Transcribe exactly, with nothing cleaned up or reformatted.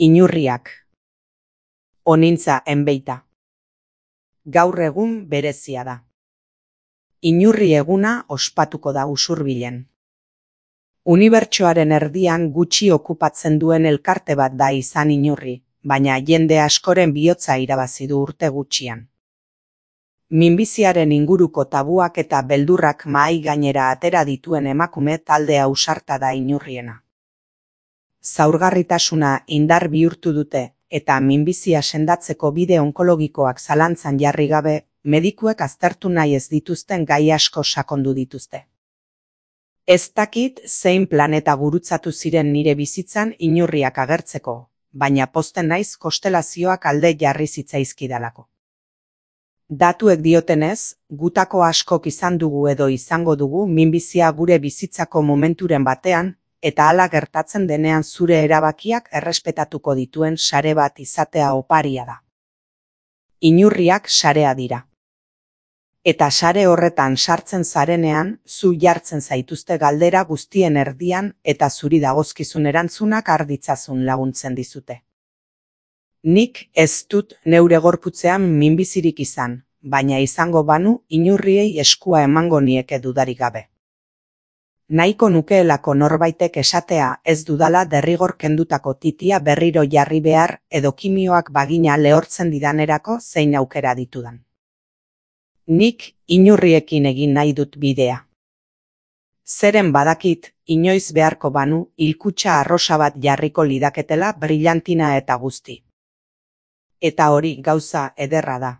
Inurriak. Onintza enbeita. Gaur egun berezia da. Inurri eguna ospatuko da Usurbilen. Unibertsoaren erdian gutxi okupatzen duen elkarte bat da izan Inurri, baina jende askoren bihotza irabazi du urte gutxian. Minbiziaren inguruko tabuak eta beldurrak mahai gainera atera dituen emakume talde ausarta da Inurriena. Zaurgarritasuna indar bihurtu dute eta minbizia sendatzeko bide onkologikoak zalantzan jarri gabe, medikuek aztertu nahi ez dituzten gai asko sakondu dituzte. Ez dakit zein planeta gurutzatu ziren nire bizitzan inurriak agertzeko, baina pozten naiz konstelazioak alde jarri zitzaizkidalako. Datuek diotenez, gutako askok izan dugu edo izango dugu minbizia gure bizitzako momenturen batean, eta hala gertatzen denean zure erabakiak errespetatuko dituen sare bat izatea oparia da. Inurriak sarea dira. Eta sare horretan sartzen zarenean, zu jartzen zaituzte galdera guztien erdian eta zuri dagozkizun erantzunak har ditzazun laguntzen dizute. Nik ez dut neure gorputzean minbizirik izan, baina izango banu inurriei eskua emango nieke dudarik gabe. Nahiko nukeelako norbaitek esatea ez dudala derrigor kendutako titia berriro jarri behar edo kimioak bagina lehortzen didanerako zein aukera ditudan. Nik inurriekin egin nahi dut bidea. Zeren badakit, inoiz beharko banu, hilkutxa arrosa bat jarriko lidaketela brillantina eta guzti. Eta hori gauza ederra da.